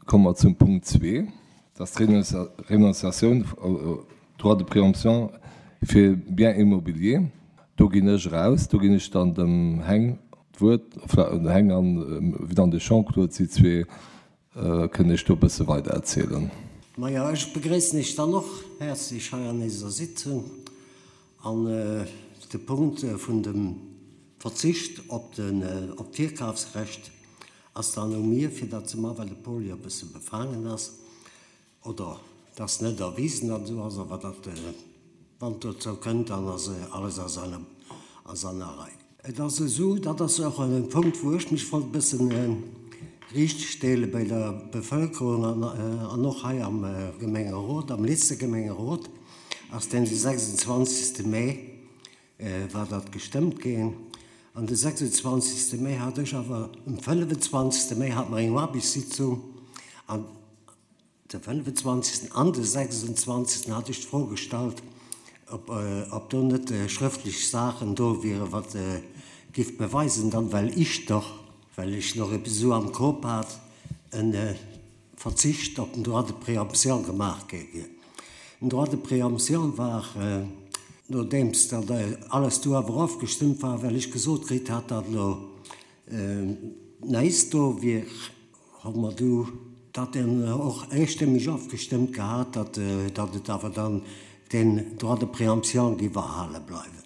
Komme mer zum Punkt zwee, dat ass d'Renonciatioun au droit de préemption fir Biens immobiliers. Do ginn ech eraus, do ginn ech dann dem Heng d'Wuert, enfin dem Heng an dann de Jean-Claude, si zwee kënnen Iech do e bësse weider erzielen. Majo, ech begréissen Iech dann och häerzlech hei an eiser Sitzung. An de Punkt vun dem Verzicht op d'Virkafsrecht ass dann u mir, fir dat ze man, well de Paul jo e bësse befaangen ass, oder et ass net erwisen, datt esou ass, awer datt, wann et dozou kënnt, dann ass alles a seiner Rei. Et ass esou, dat ass och e Punkt, wou ech mech wollt e bëssen riichtstelle bei der Bevëlkerung an och hei am Gemengerot, am letzte Gemengerot ass deen de 26. Mee war dat gestëmmt ginn. An de 26. Mee hat ech awer, um 25. Mee hate mer eng Aarbechtssitzung an De 25. An de 26. hat ech d'Fro gestallt, ob do net schrëftlech Saachen do wieren, wat giff beweisen dann, well ech doch, well ech nach eppes esou am Kop hat, e Verzicht op den Droit de préemption gemaach gi wier. Den Droit de préemption war, nodeems dat alles do awer ofgestëmmt war, well ech gesot kritt hat, datt elo näisst do wier, Hu mer du dat dann och eestëmmeg ofgestëmmt gehat, datt datt et awer dann deen Droit de préemption géif erhale bleiwen.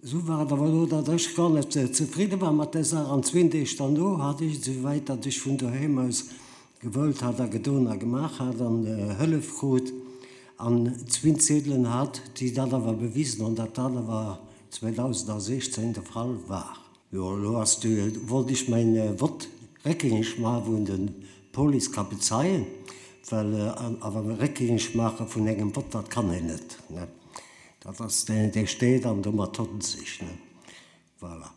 Esou war et awer elo, datt ech gar net zefridde war mat där Saach an zween Deeg derno hat ech et esouwäit, datt ech vun doheem aus gewëllt hat a gedoen a gemaach hat an Hëllef krut an zween Ziedelen hat, déi dat awer bewisen hunn, datt dat awer 2016 de Fall war. Jo, elo ass de, wollt ech mäin Vott réckgängeg maachen, wou en de Police ka bezeien, well awer réckgängeg maache vun engem Vott, dat kann een net, ne. Dat ass deen, dee steet an domat huet en sech, ne. Voilà.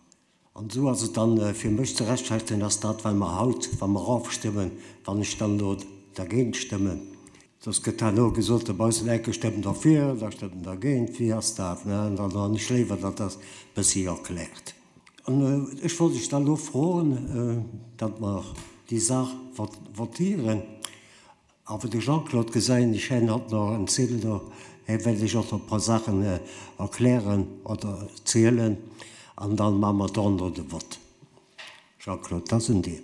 An esou ass et dann fir mech ze rechtfertigen, ass dat, well mer haut, wa mer ofstëmmen, wann ech dann elo dergéint stëmmen, soss gëtt herno gesot, dobaussen enke stëmmen derfir, da stëmmen dergéint, wéi ass dat, ne? An dann hunn ech léiwer, datt dat e bëssi erkläert. An ech wollt lech da elo froen, datt mer déi Saach votieren. Awer de Jean-Claude gesäien ech, hien hat nach en Ziedel do, hie wäert lech och nach e puer Saachen erklären oder zielen, an da maache mer dono de Vott. Jean-Claude, dat ass un dir.